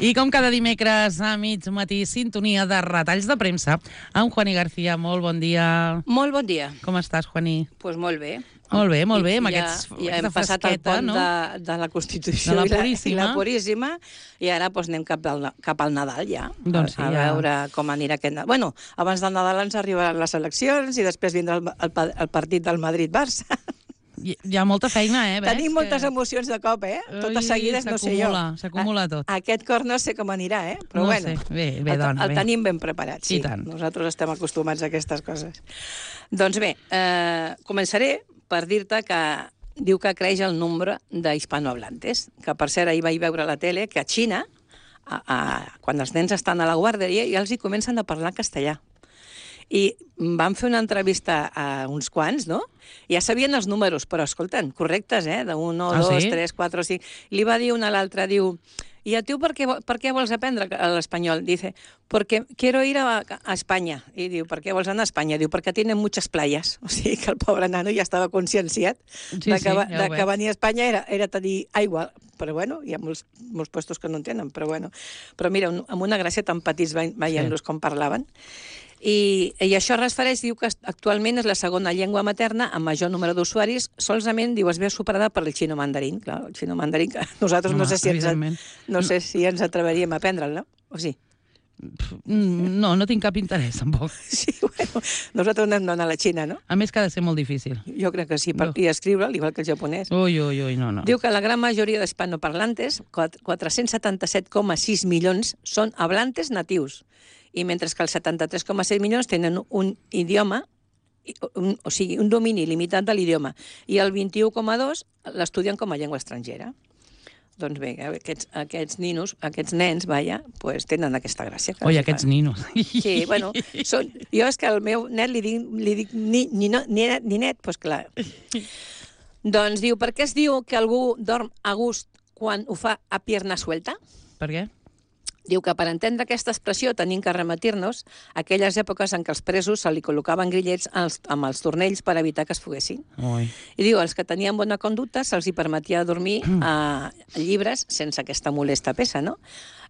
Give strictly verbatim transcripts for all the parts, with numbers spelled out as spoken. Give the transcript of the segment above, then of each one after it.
I com cada dimecres a mig matí, sintonia de retalls de premsa amb Juani García. Molt bon dia. Molt bon dia. Com estàs, Juani? Doncs pues molt bé. Molt bé, molt bé, amb ja, aquests, ja aquesta hem passat el pont, no? de, de la Constitució de la i, la, Puríssima. i la Puríssima, i ara pues, anem cap al, cap al Nadal ja, doncs sí, a, a ja. veure com anirà aquest Nadal. Bueno, abans del Nadal ens arribaran les eleccions i després vindrà el, el, el partit del Madrid-Barça. Hi, hi ha molta feina, eh? Ves, Tenim moltes que... emocions de cop, eh? Totes seguides, no sé jo. S'acumula tot. Aquest cor no sé com anirà, eh? Però no bueno, sé. Bé, bé, el, dona, el bé. tenim ben preparat, sí. Nosaltres estem acostumats a aquestes coses. Doncs bé, eh, començaré per dir-te que diu que creix el nombre d'hispanohablantes, que per cert ahir vaig veure a la tele que a Xina, a, a, quan els nens estan a la guarderia, ja els hi comencen a parlar castellà. I vam fer una entrevista a uns quants, no? Ja sabien els números, però escolten, correctes, eh? De un, ah, dos, sí? tres, quatre, cinc... Li va dir una a l'altra, diu... I a tu per què, per què vols aprendre l'espanyol? Dice, porque quiero ir a, a España. I diu, per què vols anar a Espanya? Diu, perquè tienen muchas playas. O sigui que el pobre nano ja estava conscienciat sí, de, que, sí, ja de que venir a Espanya era, era tenir aigua. Però bueno, hi ha molts, molts puestos que no en tenen, però bueno. Però mira, un, amb una gràcia tan petits veient-los sí. com parlaven. I, I això es refereix, diu que actualment és la segona llengua materna amb major número d'usuaris, solament, diu, es veu superada per el xino mandarín. Clar, el xino mandarín, que nosaltres no, no, sé, si ens, no sé si ens atreveríem a aprendre'l, no? O sí? No, no tinc cap interès, tampoc. Sí, bueno, nosaltres no hem d'anar a la Xina, no? A més que ha de ser molt difícil. Jo crec que sí, per, no. i escriure'l, igual que el japonès. Ui, ui, ui, no, no. Diu que la gran majoria d'hispanoparlantes, quatre-cents setanta-set coma sis milions, són hablantes natius, i mentre que els setanta-tres coma set milions tenen un idioma, un, o sigui, un domini limitat de l'idioma, i el vint-i-u coma dos l'estudien com a llengua estrangera. Doncs bé, aquests, aquests ninos, aquests nens, vaja, pues, tenen aquesta gràcia. Oi, aquests ninos. Sí, bueno, són, jo és que al meu net li dic, li dic ni, ni, no, ni, net, ni net, doncs clar. Doncs diu, per què es diu que algú dorm a gust quan ho fa a pierna suelta? Per què? Diu que per entendre aquesta expressió tenim que rematir-nos a aquelles èpoques en què els presos se li col·locaven grillets als, amb els tornells per evitar que es foguessin. Ui. I diu, els que tenien bona conducta se'ls hi permetia dormir a llibres sense aquesta molesta peça, no?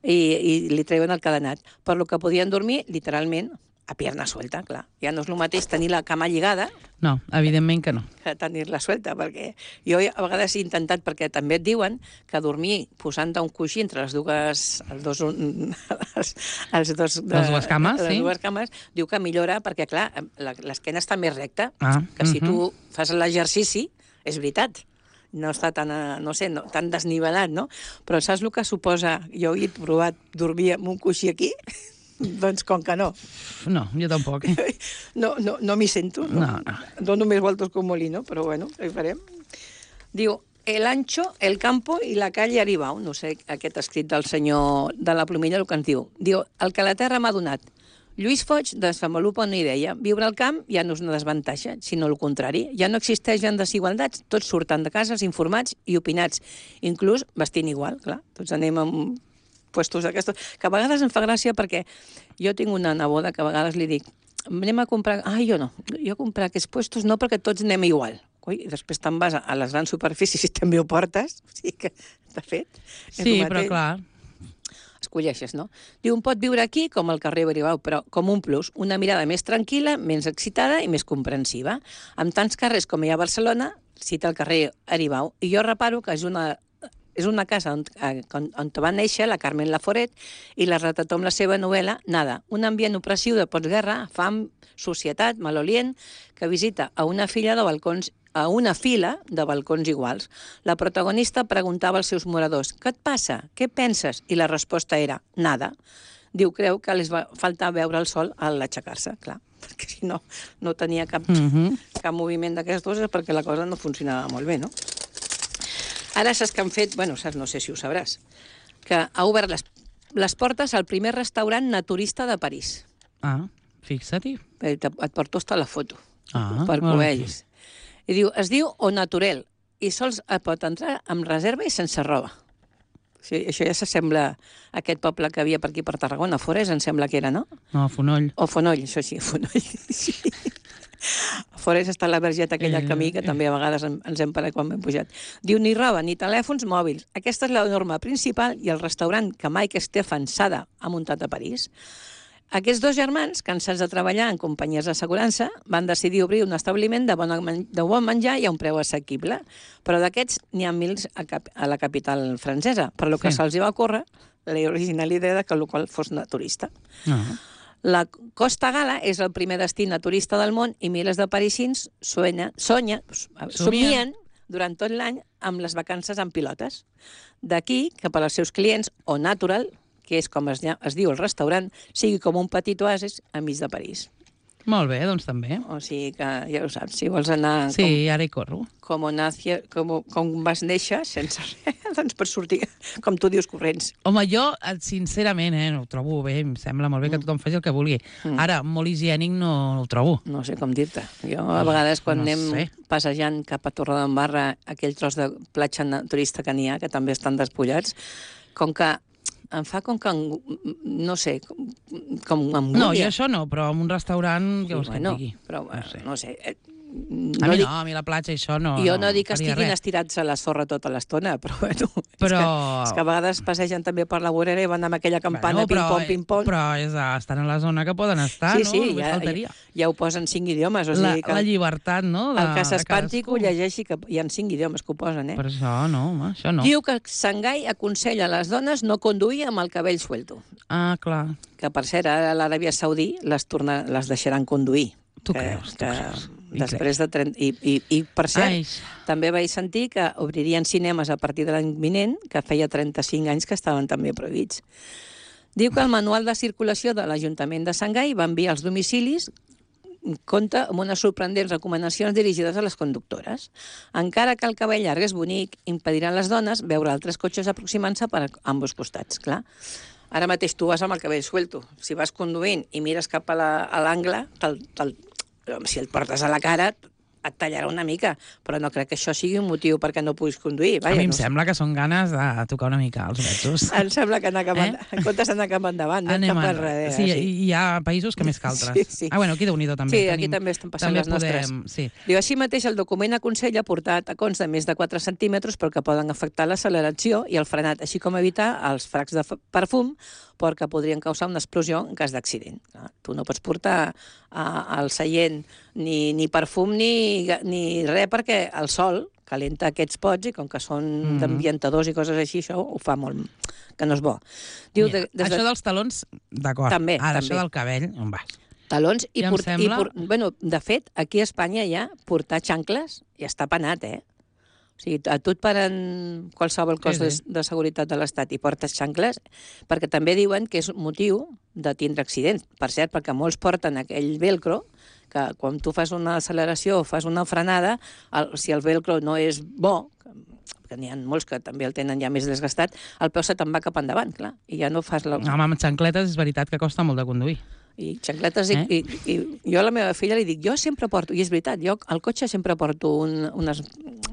I, i li treuen el cadenat. Per lo que podien dormir, literalment, a pierna suelta, clar. Ja no és el mateix tenir la cama lligada... No, evidentment que no. ...que tenir-la suelta, perquè jo a vegades he intentat, perquè també et diuen que dormir posant un coixí entre les dues... Els dos, els, els dos, de, les dues cames, les sí. dues cames, diu que millora, perquè, clar, l'esquena està més recta, ah, que si uh-huh. tu fas l'exercici, és veritat, no està tan, no sé, no, tan desnivelat, no? Però saps el que suposa? Jo he provat dormir amb un coixí aquí... Doncs com que no. No, jo tampoc. No, no, no m'hi sento. No. No, no. Dono més voltes que un molino, però bueno, què farem? Diu, el ancho, el campo i la calle Aribau. No sé, aquest escrit del senyor de la Plomilla, el que ens diu. Diu, el que la terra m'ha donat. Lluís Foix desenvolupa una idea. Viure al camp ja no és una desavantatge, sinó el contrari. Ja no existeixen desigualtats, tots surten de cases informats i opinats, inclús vestint igual, clar. Tots anem amb puestos d'aquestos, que a vegades em fa gràcia perquè jo tinc una neboda que a vegades li dic, anem a comprar... Ah, jo no, jo comprar aquests puestos no perquè tots anem igual. Ui, i després te'n vas a les grans superfícies i també ho portes, o sigui que, de fet... Sí, però clar... Escolleixes, no? Diu, un pot viure aquí com al carrer Aribau, però com un plus, una mirada més tranquil·la, més excitada i més comprensiva. Amb tants carrers com hi ha a Barcelona, cita el carrer Aribau, i jo reparo que és una... És una casa on, on, on va néixer la Carmen Laforet i la retrató amb la seva novel·la Nada, un ambient opressiu de postguerra, fam, societat, malolient, que visita a una filla de balcons a una fila de balcons iguals. La protagonista preguntava als seus moradors «Què et passa? Què penses?» I la resposta era «Nada». Diu, creu que les va faltar veure el sol a l'aixecar-se, clar, perquè si no, no tenia cap, uh-huh. cap moviment d'aquestes perquè la cosa no funcionava molt bé, no? Ara saps que han fet, bueno, saps, no sé si ho sabràs, que ha obert les, les portes al primer restaurant naturista de París. Ah, fixa't-hi. Et, et porto hasta la foto, ah, per que ho vegis. I diu, es diu Au Naturel, i sols et pot entrar amb reserva i sense roba. O sigui, això ja s'assembla a aquest poble que havia per aquí per Tarragona, Forès, em sembla que era, no? No, Fonoll. O Fonoll, això sí, Fonoll. Sí. Forest està la vergeta aquella al camí, que també a vegades ens hem parat quan hem pujat. Diu, ni roba, ni telèfons mòbils. Aquesta és la norma principal i el restaurant que Mike Stefan Sada ha muntat a París. Aquests dos germans, cansats de treballar en companyies d'assegurança, van decidir obrir un establiment de bon, de bon menjar i a un preu assequible. Però d'aquests n'hi ha mils a, cap, a la capital francesa, per lo que sí. se'ls va ocórrer l'original idea de que el local fos naturista. Uh-huh. La Costa Gala és el primer destí naturista del món i milers de parisins sonya, sonya, somien durant tot l'any amb les vacances en pilotes. D'aquí que per als seus clients, o Natural, que és com es, es diu el restaurant, sigui com un petit oasis enmig de París. Molt bé, doncs també. O sigui que ja ho saps, si vols anar... Sí, com, ara hi corro. Com, nacia, com, com vas néixer, sense res, doncs per sortir, com tu dius, corrents. Home, jo, sincerament, eh, ho trobo bé, em sembla molt bé que tothom faci el que vulgui. Mm. Ara, molt higiènic no, no ho trobo. No sé com dir-te. Jo, a vegades, quan no anem sé. passejant cap a Torredembarra, aquell tros de platja turista que n'hi ha, que també estan despullats, com que em fa com que, no sé, com, com angúnia. No, jo això no, però en un restaurant, què vols que et digui? Però, no sé. No sé. No a mi dic... no, a mi la platja això no... Jo no, no dic que estiguin res. estirats a la sorra tota l'estona, però bueno, però... és, que, és que a vegades passegen també per la vorera i van amb aquella campana, bueno, pim-pom, pim-pom. Però és, estan a la zona que poden estar, sí, no? Sí, Només ja, faltaria. Ja, ja ho posen cinc idiomes. O sigui la, que la llibertat, no? De, el que s'espanti que ho llegeixi, que hi ha cinc idiomes que ho posen, eh? Per això no, home, això no. Diu que Xangai aconsella a les dones no conduir amb el cabell suelto. Ah, clar. Que, per cert, a l'Aràbia Saudí les, torna, les deixaran conduir. Tu que, creus, tu que creus. Després de trenta... I, i, i per cert, Ai. també vaig sentir que obririen cinemes a partir de l'any vinent, que feia trenta-cinc anys que estaven també prohibits. Diu que el manual de circulació de l'Ajuntament de Xangai va enviar als domicilis compta amb unes sorprendents recomanacions dirigides a les conductores. Encara que el cabell llarg és bonic, impediran les dones veure altres cotxes aproximant-se per ambos costats, clar. Ara mateix tu vas amb el cabell suelto. Si vas conduint i mires cap a l'angle, si el portes a la cara, et tallarà una mica, però no crec que això sigui un motiu perquè no puguis conduir. Vaja, a mi em no sembla que són ganes de tocar una mica els vetos. Em sembla que anar cap eh? en comptes d'anar cap endavant, anem cap enrere. Sí, sí, hi ha països que més que altres. Sí, sí. Ah, bueno, aquí Déu-n'hi-do també. Sí, aquí Tenim, també estan passant també les nostres. Podem, sí. Diu, així mateix, el document aconsella portar tacons de més de quatre centímetres perquè poden afectar l'acceleració i el frenat, així com evitar els fracs de perfum perquè podrien causar una explosió en cas d'accident. Tu no pots portar al seient ni, ni perfum ni, ni res perquè el sol calenta aquests pots i com que són mm. d'ambientadors i coses així, això ho fa molt... que no és bo. Diu, ja, de, des això de... dels talons, d'acord. També, Ara, també. això del cabell, on vas? Talons i, ja port... sembla... i port... bueno, de fet, aquí a Espanya ja portar xancles ja està penat, eh? O sigui, a tu et paren qualsevol cos sí, sí. De, de seguretat de l'Estat i portes xancles, perquè també diuen que és motiu de tindre accidents. Per cert, perquè molts porten aquell velcro, que quan tu fas una acceleració o fas una frenada, el, si el velcro no és bo, que n'hi ha molts que també el tenen ja més desgastat, el peu se te'n va cap endavant, clar, i ja no fas... La... Home, amb xancletes és veritat que costa molt de conduir. I xancletes, eh? i, i, i jo a la meva filla li dic, jo sempre porto, i és veritat, jo al cotxe sempre porto un, unes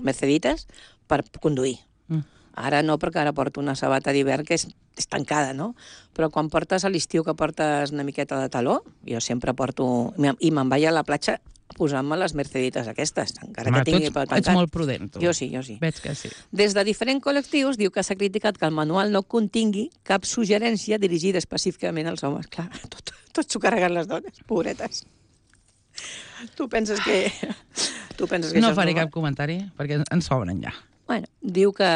mercedites per conduir. Mm. Ara no, perquè ara porto una sabata d'hivern que és, és tancada, no? Però quan portes a l'estiu que portes una miqueta de taló, jo sempre porto... I me'n vaig a la platja posant-me les mercedites aquestes, encara Home, que tingui tu ets, ets molt prudent, tu. Jo sí, jo sí. Veig que sí. Des de diferents col·lectius diu que s'ha criticat que el manual no contingui cap suggerència dirigida específicament als homes. Clar, tot, tot s'ho carreguen les dones, pobretes. Tu penses que... Tu penses que no això faré és cap comentari, perquè ens sobren ja. Bueno, diu que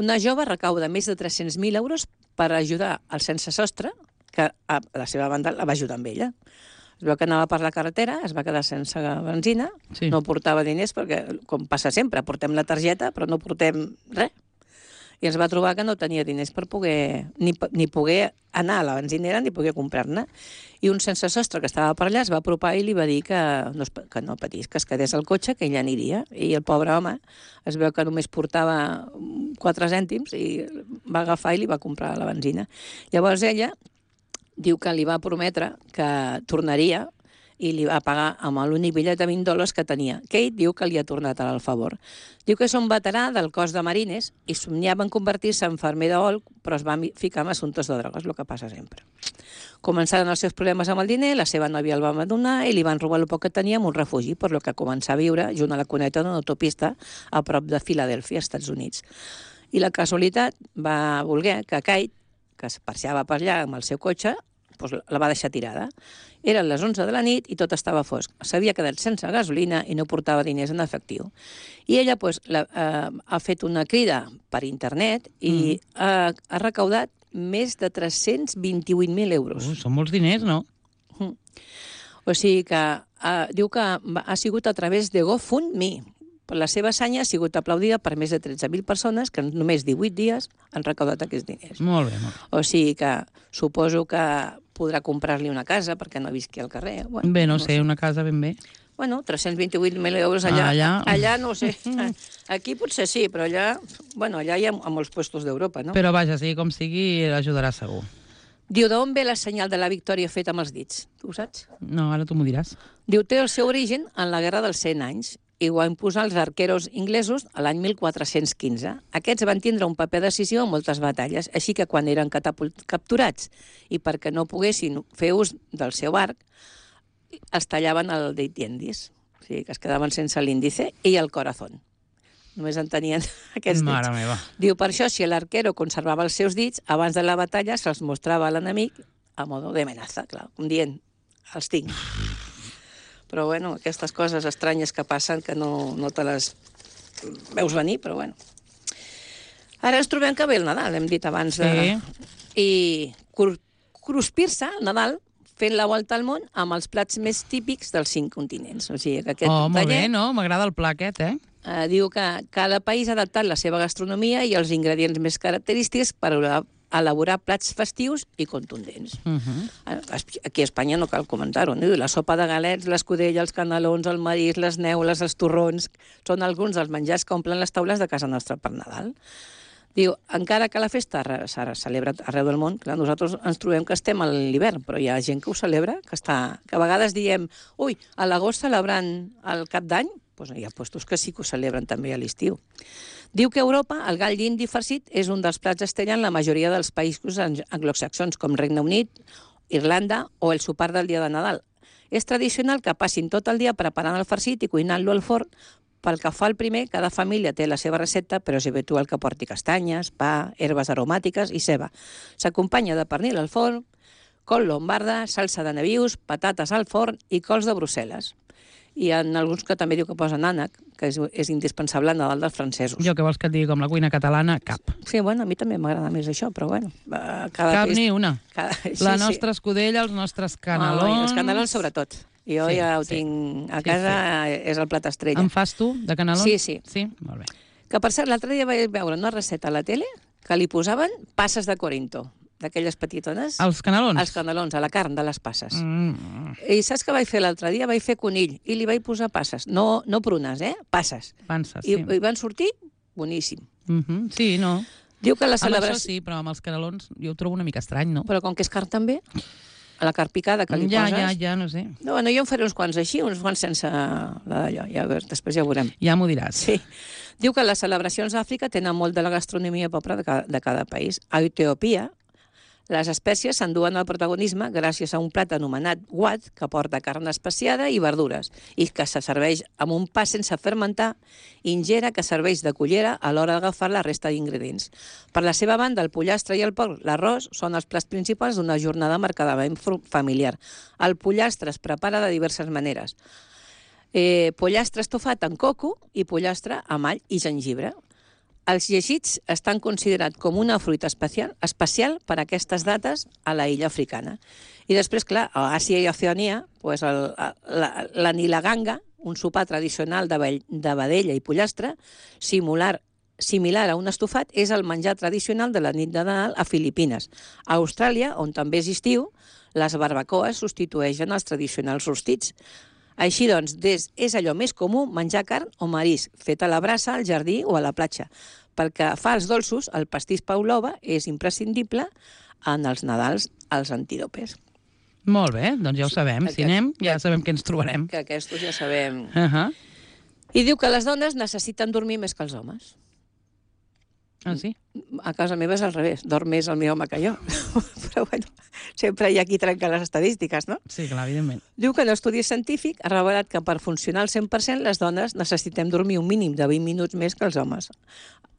una jove recauda més de tres-cents mil euros per ajudar al sense sostre, que a la seva banda la va ajudar amb ella. Es veu que anava per la carretera, es va quedar sense benzina, sí. No portava diners, perquè, com passa sempre, portem la targeta, però no portem res. I ens va trobar que no tenia diners per poder, ni, ni poder anar a la benzinera ni poder comprar-ne. I un sense sostre que estava per allà es va apropar i li va dir que no, que no patís, que es quedés al cotxe, que ell aniria. I el pobre home es veu que només portava quatre cèntims i va agafar i li va comprar la benzina. Llavors ella diu que li va prometre que tornaria i li va pagar amb l'únic bitllet de vint dòlars que tenia, que ell diu que li ha tornat al favor. Diu que és un veterà del cos de marines i somniava en convertir-se en fermer d'ol, però es va ficar en assumptes de drogues, el que passa sempre. Començaren els seus problemes amb el diner, la seva nòvia el va abandonar i li van robar el poc que tenia en un refugi, per lo que començà a viure junt a la cuneta d'una autopista a prop de Filadèlfia, Estats Units. I la casualitat va voler que Kate, que es passeava per allà amb el seu cotxe, doncs la va deixar tirada. Eren les onze de la nit i tot estava fosc. S'havia quedat sense gasolina i no portava diners en efectiu. I ella doncs, la, eh, ha fet una crida per internet i mm. ha, ha recaudat més de tres-cents vint-i-vuit mil euros. Uh, són molts diners, no? Mm. O sigui que eh, diu que ha sigut a través de GoFundMe. La seva hassanya ha sigut aplaudida per més de tretze mil persones que en només divuit dies han recaudat aquests diners. Molt bé, molt bé. O sigui que suposo que podrà comprar-li una casa perquè no visqui al carrer. Bueno, bé, no, no sé, sé, una casa ben bé. Bueno, tres-cents vint-i-vuit mil euros allà. Ah, allà... allà no ho sé. Aquí potser sí, però allà... Bueno, allà hi ha a molts puestos d'Europa, no? Però vaja, sigui com sigui, l'ajudarà segur. Diu, d'on ve la senyal de la victòria feta amb els dits? Tu ho saps? No, ara tu m'ho diràs. Diu, té el seu origen en la Guerra dels cent anys i ho van posar els arqueros inglesos a l'any mil quatre-cents quinze. Aquests van tindre un paper decisiu en moltes batalles, així que quan eren capturats i perquè no poguessin fer ús del seu arc, els tallaven el dit indis. O sigui, que es quedaven sense l'índice i el corazón. Només en tenien aquests dits. Mare meva. Diu, per això, si l'arquero conservava els seus dits, abans de la batalla se'ls mostrava a l'enemic a modo de amenaza, clar, com dient, els tinc. Però, bueno, aquestes coses estranyes que passen que no, no te les veus venir, però, bueno. Ara ens trobem que ve el Nadal, hem dit abans. De... Sí. I cruspir-se al Nadal fent la volta al món amb els plats més típics dels cinc continents. O sigui, que aquest oh, molt taller, bé, no? M'agrada el pla aquest, eh? eh? Diu que cada país ha adaptat la seva gastronomia i els ingredients més característics per elaborar plats festius i contundents. Uh -huh. Aquí a Espanya no cal comentar-ho, no? La sopa de galets, l'escudella, els canelons, el marisc, les neules, els torrons, són alguns dels menjars que omplen les taules de casa nostra per Nadal. Diu, encara que la festa s'ha celebrat arreu del món, clar, nosaltres ens trobem que estem a l'hivern, però hi ha gent que ho celebra, que, està, que a vegades diem, ui, a l'agost celebrant el cap d'any, doncs hi ha puestos que sí que ho celebren també a l'estiu. Diu que a Europa el gall d'indi farcit és un dels plats estrella en la majoria dels països anglosaxons, com Regne Unit, Irlanda o el sopar del dia de Nadal. És tradicional que passin tot el dia preparant el farcit i cuinant-lo al forn. Pel que fa al primer, cada família té la seva recepta, però és habitual que porti castanyes, pa, herbes aromàtiques i ceba. S'acompanya de pernil al forn, col lombarda, salsa de nabius, patates al forn i cols de Brussel·les. I en alguns que també diu que posen ànec, que és, és indispensable a Nadal dels francesos. Jo que vols que et digui com la cuina catalana, cap. Sí, bueno, a mi també m'agrada més això, però bueno. Cada cap peix... ni una. Cada... Sí, la sí. nostra escudella, els nostres canelons... Oh, els canelons sobretot. Jo sí, ja ho sí. tinc a casa, sí, sí. És el plat estrella. En fas tu, de canelons? Sí, sí. Sí? Molt bé. Que per cert, l'altre dia vaig veure una recepta a la tele que li posaven passes de Corinto, d'aquelles petitones. Els canelons? Els canelons, a la carn de les passes. Mm. I saps què vaig fer l'altre dia? Vaig fer conill i li vaig posar passes. No, no prunes, eh? Passes. Panses, I, sí. I van sortir boníssim. Mm -hmm. Sí, no. Diu que la celebració... celebració... Amb això sí, però amb els canelons jo ho trobo una mica estrany, no? Però com que és carn també, a la carn picada que li ja, poses... Ja, ja, no sé. No, bueno, jo en faré uns quants així, uns quants sense la d'allò. Ja, després ja ho veurem. Ja m'ho diràs. Sí. Diu que les celebracions d'Àfrica tenen molt de la gastronomia pròpia de cada, de cada país. A Etiòpia, les espècies s'enduen el protagonisme gràcies a un plat anomenat wat, que porta carn especiada i verdures, i que se serveix amb un pa sense fermentar, ingera que serveix de cullera a l'hora d'agafar la resta d'ingredients. Per la seva banda, el pollastre i el porc, l'arròs, són els plats principals d'una jornada marcadament familiar. El pollastre es prepara de diverses maneres. Eh, pollastre estofat amb coco i pollastre amb all i gengibre. Els llegits estan considerats com una fruita especial, especial per a aquestes dates a la illa africana. I després, clar, a Àsia i Oceania, pues el, la, la nilaganga, un sopar tradicional de, vell, de vedella i pollastre, similar, similar a un estofat, és el menjar tradicional de la nit de Nadal a Filipines. A Austràlia, on també és estiu, les barbacoes substitueixen els tradicionals rostits. Així doncs, des, és allò més comú menjar carn o marisc, fet a la brasa, al jardí o a la platja. Perquè fa els dolços, el pastís Pavlova és imprescindible en els Nadals als antílopes. Molt bé, doncs ja ho sabem. Si anem, ja sabem què ens trobarem. Que aquests ja sabem. Uh -huh. I diu que les dones necessiten dormir més que els homes. Ah, sí? A casa meva és al revés, dorm més el meu home que jo. Però bueno, sempre hi ha qui trenca les estadístiques, no? Sí, clar, evidentment. Diu que un estudi científic ha revelat que per funcionar al cent per cent les dones necessitem dormir un mínim de vint minuts més que els homes.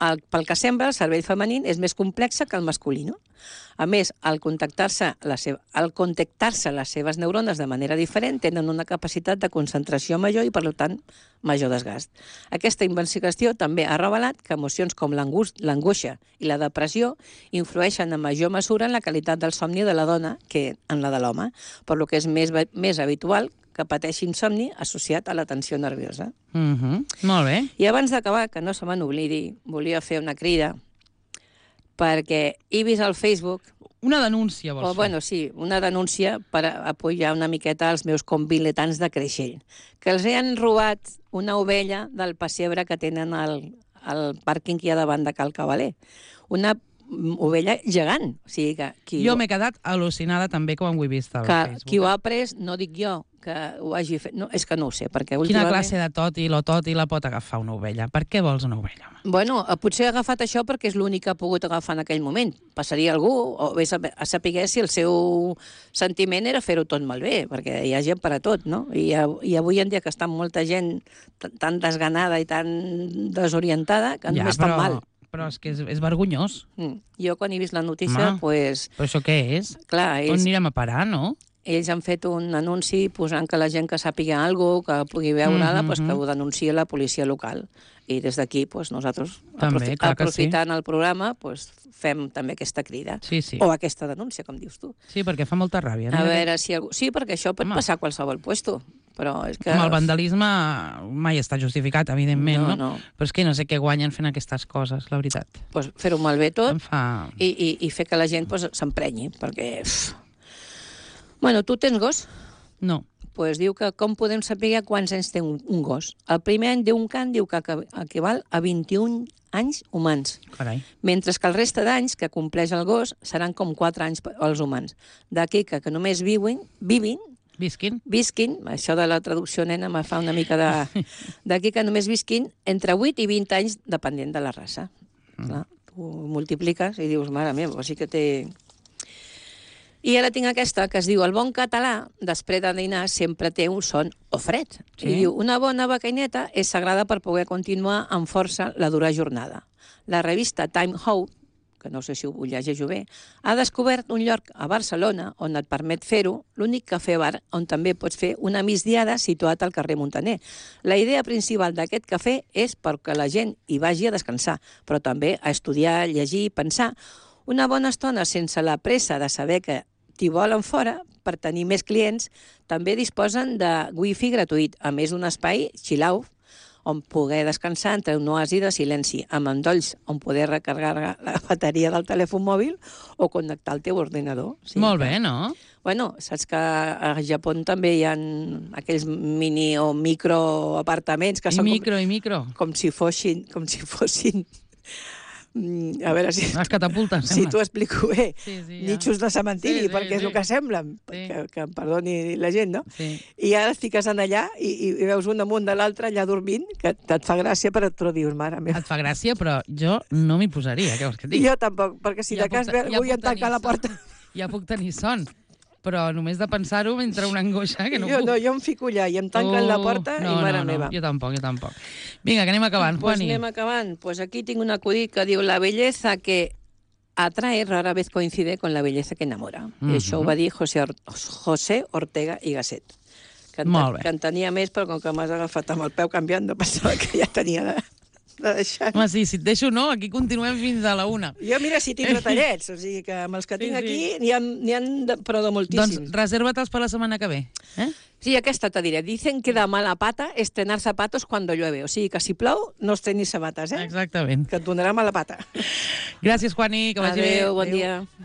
El, pel que sembla, el cervell femení és més complex que el masculí. A més, al contactar-se la seva, al contactar-se les seves neurones de manera diferent, tenen una capacitat de concentració major i, per tant, major desgast. Aquesta investigació també ha revelat que emocions com l'angoixa i la depressió influeixen en major mesura en la qualitat del somni de la dona que en la de l'home, per lo que és més, més habitual que pateixi insomni associat a la tensió nerviosa. Uh -huh. Molt bé. I abans d'acabar, que no se me n'oblidi, volia fer una crida perquè he vist al Facebook... Una denúncia, vols o, fer? Bueno, sí, una denúncia per apoyar una miqueta els meus conviletants de Creixell, que els han robat una ovella del pessebre que tenen al, al pàrquing que hi ha davant de Cal Cavaler. Una ovella gegant. O sigui que qui jo m'he quedat al·lucinada també quan ho he vist al que Facebook. Qui ho ha pres, no dic jo, que ho hagi fet... No, és que no ho sé, perquè Quina últimament... classe de tòtil o tòtil la pot agafar una ovella? Per què vols una ovella? Bueno, potser ha agafat això perquè és l'únic que ha pogut agafar en aquell moment. Passaria algú, o bé a saber si el seu sentiment era fer-ho tot malbé, perquè hi ha gent per a tot, no? I, i avui en dia que està molta gent tan desganada i tan desorientada que ja, només però... fan mal. Però és que és, és vergonyós. Mm. Jo, quan he vist la notícia, doncs... Pues, però això què és? Clar, ells... On anirem a parar, no? Ells han fet un anunci posant que la gent que sàpiga alguna cosa, que pugui veure-la, mm -hmm. pues, que ho denunciï a la policia local. I des d'aquí, pues, nosaltres, també, aprofi aprofitant sí. el programa, pues, fem també aquesta crida. Sí, sí. O aquesta denúncia, com dius tu. Sí, perquè fa molta ràbia. A veure si algú... Sí, perquè això pot Home. passar a qualsevol puesto. Però és que... Home, el vandalisme mai està justificat, evidentment, no? no? no. Però és que no sé què guanyen fent aquestes coses, la veritat. Pues fer-ho malbé tot fa... i, i, i fer que la gent pues, s'emprenyi, perquè... Uf. Bueno, tu tens gos? No. Pues diu que com podem saber quants anys té un, un gos. El primer any d'un can diu que equival a vint-i-un anys humans. Carai. Mentre que el reste d'anys que compleix el gos seran com quatre anys als humans. D'aquí que, que només viuen, vivin, Visquin. Visquin, això de la traducció nena me fa una mica de... D'aquí que només visquin entre vuit i vint anys depenent de la raça. Mm. Clar, tu multipliques i dius, mare meva, o sigui que té... I ara tinc aquesta, que es diu el bon català, després de dinar, sempre té un son o fred. Sí. I diu, una bona becaineta és sagrada per poder continuar amb força la dura jornada. La revista Time Out, que no sé si ho llegeixo bé, ha descobert un lloc a Barcelona on et permet fer-ho, l'únic cafè-bar on també pots fer una migdiada situat al carrer Muntaner. La idea principal d'aquest cafè és perquè la gent hi vagi a descansar, però també a estudiar, llegir i pensar. Una bona estona sense la pressa de saber que t'hi volen fora, per tenir més clients, també disposen de wifi gratuït, a més d'un espai chill-out, on poder descansar entre un oasi de silenci, amb endolls on poder recarregar la bateria del telèfon mòbil o connectar el teu ordinador. Sí, Molt bé, no? Bueno, saps que a Japó també hi ha aquells mini o micro apartaments que I són micro, com, i micro. com si fossin... Com si fossin a veure si... Les catapultes, si t'ho explico bé. Sí, sí, ja. Nitxos de cementiri, sí, sí, perquè és sí. el que semblen. Sí. Que, que em perdoni la gent, no? Sí. I ara et fiques en allà i, i veus un damunt de l'altre allà dormint, que et fa gràcia, però tu dius, mare meva. Et fa gràcia, però jo no m'hi posaria, què vols que et digui? Jo tampoc, perquè si ja de cas puc, ja vull tancar la porta... Ja puc tenir son, però només de pensar-ho m'entra una angoixa que no jo, puc. No, jo em fico allà i em tanquen oh, la porta no, i mare no, no, meva. Jo tampoc, jo tampoc. Vinga, que anem acabant, pues Juani. anem acabant. Pues aquí tinc un acudit que diu la belleza que atrae rara vez coincide con la belleza que enamora. Mm -hmm. I això ho va dir José, Or José Ortega i Gasset. Que en, Molt bé. Que en tenia més, però com que m'has agafat amb el peu canviant, pensava que ja tenia de, de deixar. Home, sí, si et deixo no, aquí continuem fins a la una. Jo mira si tinc retallets, o sigui que amb els que tinc Sí, sí. aquí n'hi ha, n'hi ha de, però de moltíssims. Doncs reserva-te'ls per la setmana que ve. Eh? Sí, aquesta te diré. Dicen que de mala pata estrenar zapatos cuando llueve. O sigui que si plou, no estrenis sabates, eh? Exactament. Que et donarà mala pata. Gràcies, Juani, que vagi bé. Adéu, bon dia.